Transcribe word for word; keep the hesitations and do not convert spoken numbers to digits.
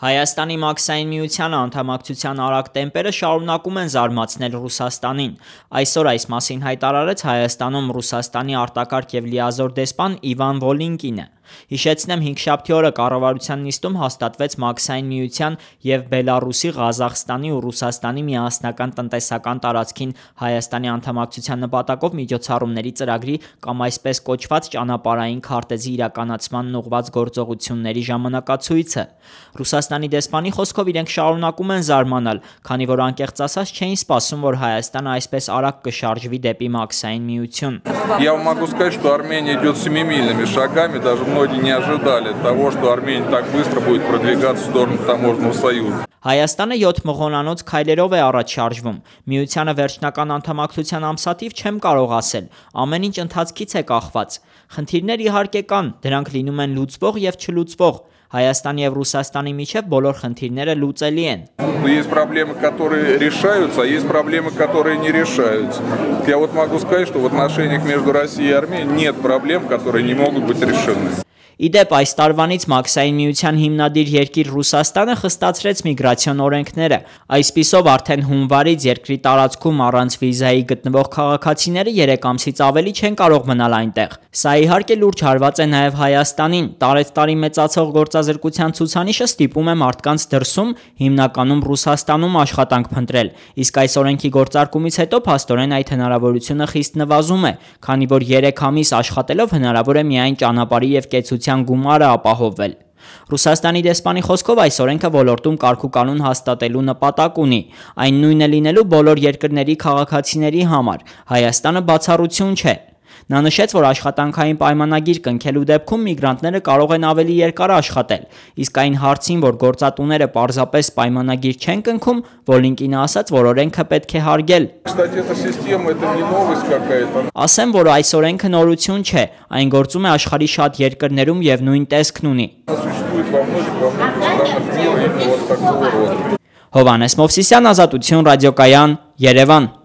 Հայաստանի մաքսային միությանը անդամակցության արագ տեմպերը շարունակում են զարմացնել Ռուսաստանին։ Այսօր այս մասին հայտարարեց Հայաստանում Ռուսաստանի արտակարգ և լիազոր դեսպան Իվան Վոլինկինը։ Հիշեցնեմ, հինգշաբթի օրը կառավարության նիստում հաստատվեց Մաքսային միության և Բելառուսի, Ղազախստանի ու Ռուսաստանի միասնական տնտեսական տարածքին Հայաստանի անդամակցության նպատակով միջոցառումների ծրագրի կամ այսպես կոչված ճանապարհային քարտեզի իրականացմանն ուղղված գործողությունների ժամանակացույցը։ Ռուսաստանի դեսպանի խոսքով իրենք շարունակում են զարմանալ, քանի որ անկեղծ ասած չէին սպասում, որ Հայաստանը այսպես արագ կշարժվի դեպի Մաքսային միություն։ Я могу сказать, что Армения идет семимильными шагами, даже многие не ожидали того, что Армения так быстро будет продвигаться в сторону таможенного союза. Հայաստանը յոթ մղոնանոց քայլերով է առաջ շարժվում։ Միությանը վերջնական անդամակցության ամսաթիվ չեմ կարող ասել, ամեն ինչ ընթացքից է կախված։ Խնդիրներ իհարկե կան, դրանք լինում են լուծվող և չլուծվող։ Հայաստանի և Ռուսաստանի միջև բոլոր խնդիրները լուծելի են։ Есть проблемы, которые решаются, а есть проблемы, которые не решаются. Я вот могу сказать, что в отношениях между Россией и Арменией нет проблем, которые не могут быть решены. Իդեպ այս տարվանից Մաքսային միության հիմնադիր երկիր Ռուսաստանը խստացրեց միգրացիոն օրենքները։ Այսպիսով արդեն հունվարից երկրի տարածքում առանց վիզայի գտնվող քաղաքացիները երեք ամսից ավելի չեն կարող մնալ այնտեղ։ Սա իհարկե լուրջ հարված է նաև Հայաստանին։ Տարեցտարի մեծացող գործազրկության ցուցանիշը ստիպում է մարդկանց դրսում, հիմնականում Ռուսաստանում աշխատանք փնտրել։ Իսկ այս օրենքի գործարկումից հետո փաստորեն այդ հնարավորությունը խիստ նվազում է, քանի որ երեք ամիս աշխատելով հնարավոր է միայն ճանապարհի և կեցության գումարը ապահովել։ Ռուսաստանի դեսպանի խոսքով այս օրենքը ոլորտում կարգուկանոն հաստատելու նպատակ ունի, այն նույնը լինելու բոլոր երկրների քաղաքացիների համար, Հայաստանը բացառություն չէ։ Նա նշեց, որ աշխատանքային պայմանագիր կնքելու դեպքում միգրանտները կարող են ավելի երկար աշխատել, իսկ այն հարցին, որ գործատուները պարզապես պայմանագիր չեն կնքում, Վոլինկինը ասաց, որ օրենքը պետք է հարգել։ Ասեմ, որ այս օրենքը նորություն չէ, այն գործում է աշխարհի շատ երկրներում և նույն տեսքն ունի։ Հովհաննես Մովսիսյան, Ազատություն ռադիոկայան, Երևան։